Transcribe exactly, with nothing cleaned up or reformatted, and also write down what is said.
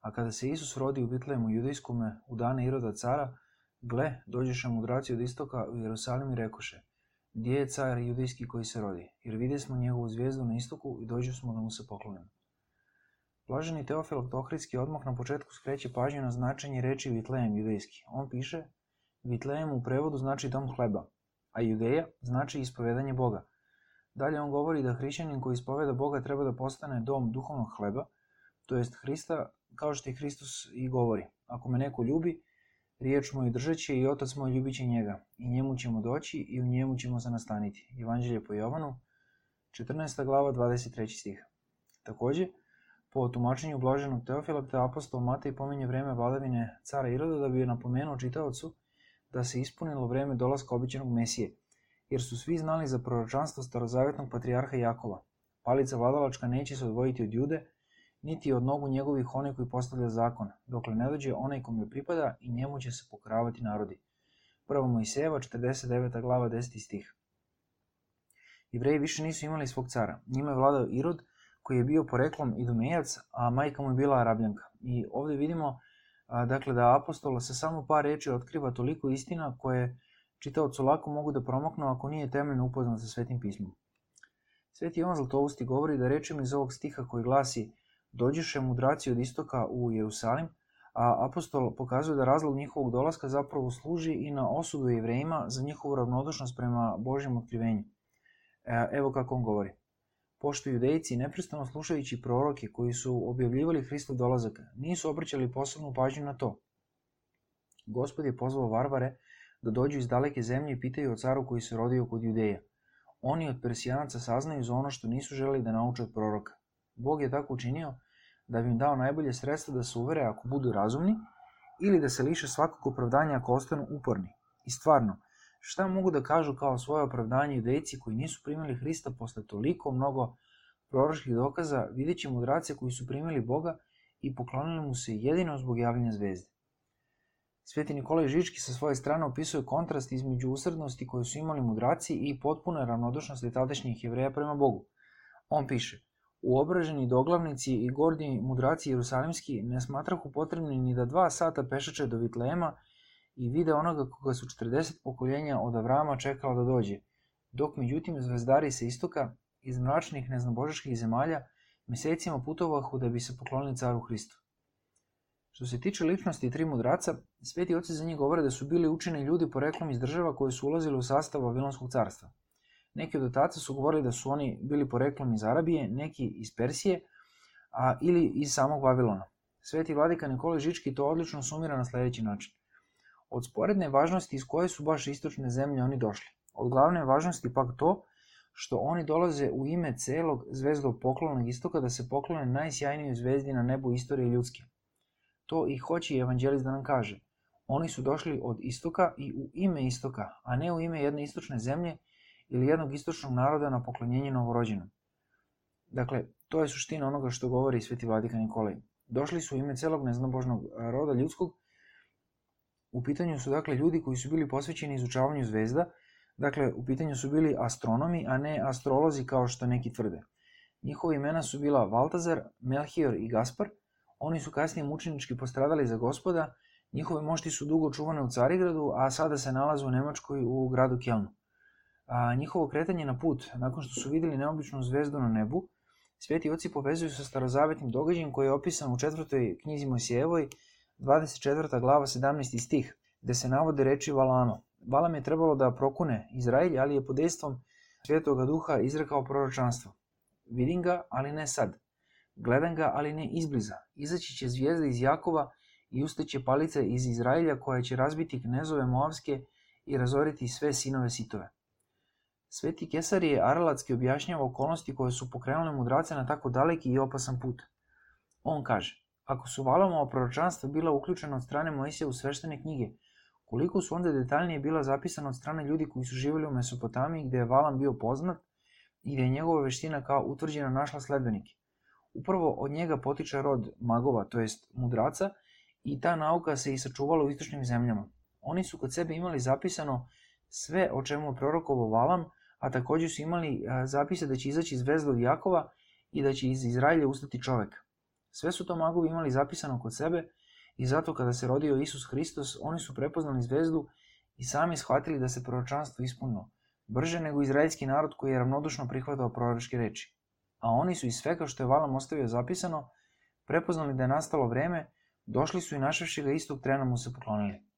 A kada se Isus rodi u Vitlejemu judejskome u dane Iroda cara, gle, dođeše mudraci od istoka u Jerusalim i rekoše: gdje je car judejski koji se rodi? Jer videsmo njegovu zvijezdu na istoku i dođu smo da mu se poklonimo. Blaženi Teofil Ohridski odmah na početku skreće pažnju na značenje reči Vitlejem judejski. On piše: Vitlejem u prevodu znači dom hleba, a Judeja znači ispovedanje Boga. Dalje on govori da hrišćanin koji ispoveda Boga treba da postane dom duhovnog hleba, to jest Hrista, kao što i Hristos i govori: ako me neko ljubi, riječ moju držeće i Otac moj ljubit će njega, i njemu ćemo doći i u njemu ćemo se nastaniti. Evanđelje po Jovanu, četrnaesta glava, dvadeset treći stih. Također, po tumačenju blaženog Teofila, te apostol Matej pominje vreme vladavine cara Iroda da bi napomenuo čitaocu da se ispunilo vreme dolaska obećanog Mesije, jer su svi znali za proročanstvo starozavetnog patrijarha Jakova. Palica vladalačka neće se odvojiti od Jude, niti od nogu njegovih onaj koji postavlja zakon, dokle ne dođe onaj kome pripada i njemu će se pokoravati narodi. Prva Mojsejeva, četrdeset deveta glava, deseti stih. Jevreji više nisu imali svog cara. Njima je vladao Irod, koji je bio poreklom Idumejac, a majka mu je bila Arabljanka. I ovdje vidimo a, dakle, da apostola sa samo par reči otkriva toliko istina koje čitaocu lako mogu da promaknu ako nije temeljno upoznat sa Svetim pismom. Sveti Jovan Zlatousti govori da rečima iz ovog stiha koji glasi: dođeše mudraci od istoka u Jerusalim, a apostol pokazuje da razlog njihovog dolaska zapravo služi i na osudu Jevrejima za njihovu ravnodušnost prema Božjem otkrivenju. E, evo kako on govori: pošto judejci, neprestano slušajući proroke koji su objavljivali Hristov dolazak, nisu obraćali posebnu pažnju na to. Gospod je pozvao varvare da dođu iz daleke zemlje i pitaju o caru koji se rodio kod Judeja. Oni od Persijanaca saznaju za ono što nisu želeli da nauče od proroka. Bog je tako učinio da bi im dao najbolje sredstvo da se uvere ako budu razumni, ili da se liše svakog opravdanja ako ostanu uporni. I stvarno, šta mogu da kažu kao svoje opravdanje judejci koji nisu primili Hrista posle toliko mnogo proročkih dokaza, videći mudrace koji su primili Boga i poklonili mu se jedino zbog javljanja zvezde. Sveti Nikolaj Žički sa svoje strane opisuje kontrast između usrednosti koju su imali mudraci i potpune ravnodušnosti tadašnjih Jevreja prema Bogu. On piše: uobraženi doglavnici i gordi mudraci jerusalimski ne smatrahu potrebni ni da dva sata pešače do Vitlejema i vide onoga koga su četrdeset pokoljenja od Avrama čekala da dođe, dok međutim zvezdari sa istoka iz mračnih neznabožaških zemalja mesecima putovahu da bi se poklonili caru Hristu. Što se tiče ličnosti tri mudraca, sveti oci za njih govore da su bili učeni ljudi poreklom iz država koje su ulazili u sastav Vavilonskog carstva. Neki od otaca su govorili da su oni bili poreklom iz Arabije, neki iz Persije, a ili iz samog Vavilona. Sveti vladika Nikolaj Žički to odlično sumira na sljedeći način: od sporedne važnosti iz koje su baš istočne zemlje oni došli. Od glavne važnosti pak to što oni dolaze u ime celog zvezdog poklonnog istoka da se poklone najsjajnijoj zvezdi na nebu istorije ljudske. To i hoće evanđelist da nam kaže. Oni su došli od istoka i u ime istoka, a ne u ime jedne istočne zemlje ili jednog istočnog naroda na poklonjenje novorođenom. Dakle, to je suština onoga što govori sveti vladika Nikolaj. Došli su u ime celog neznabožnog roda ljudskog. U pitanju su dakle ljudi koji su bili posvećeni izučavanju zvezda, dakle u pitanju su bili astronomi, a ne astrolozi kao što neki tvrde. Njihova imena su bila Valtazar, Melchior i Gaspar. Oni su kasnije mučenički postradali za Gospoda, njihove mošti su dugo čuvane u Carigradu, a sada se nalaze u Nemačkoj u gradu Kelnu. A njihovo kretanje na put, nakon što su vidjeli neobičnu zvezdu na nebu, sveti oci povezuju sa starozavetnim događajem koji je opisan u četvrtoj knjizi Mojsijevoj, dvadeset četvrta glava, sedamnaesti stih, gde se navode reči Valama. Valam je trebalo da prokune Izraelj, ali je pod dejstvom Svetoga Duha izrekao proročanstvo. Vidim ga, ali ne sad. Gledam ga, ali ne izbliza. Izaći će zvijezda iz Jakova i ustaće palica iz Izraelja koja će razbiti knezove Moavske i razoriti sve sinove Sitove. Sveti Kesarije Aralatski objašnjava okolnosti koje su pokrenule mudrace na tako daleki i opasan put. On kaže: ako su Valamova proročanstva bila uključena od strane Mojsija u sveštene knjige, koliko su onda detaljnije bila zapisana od strane ljudi koji su živjeli u Mesopotamiji gdje je Valam bio poznat i gdje je njegova veština kao utvrđena našla sledbenike. Upravo od njega potiče rod magova, to jest mudraca, i ta nauka se i sačuvala u istočnim zemljama. Oni su kod sebe imali zapisano sve o čemu je prorokovao Valam, a također su imali zapise da će izaći zvezda od Jakova i da će iz Izraelja ustati čovek. Sve su to magovi imali zapisano kod sebe i zato kada se rodio Isus Hristos, oni su prepoznali zvezdu i sami shvatili da se proročanstvo ispunilo, brže nego izraelski narod koji je ravnodušno prihvatao proročke reči. A oni su iz svega što je Valam ostavio zapisano, prepoznali da je nastalo vreme, došli su i našavši ga istog trena mu se poklonili.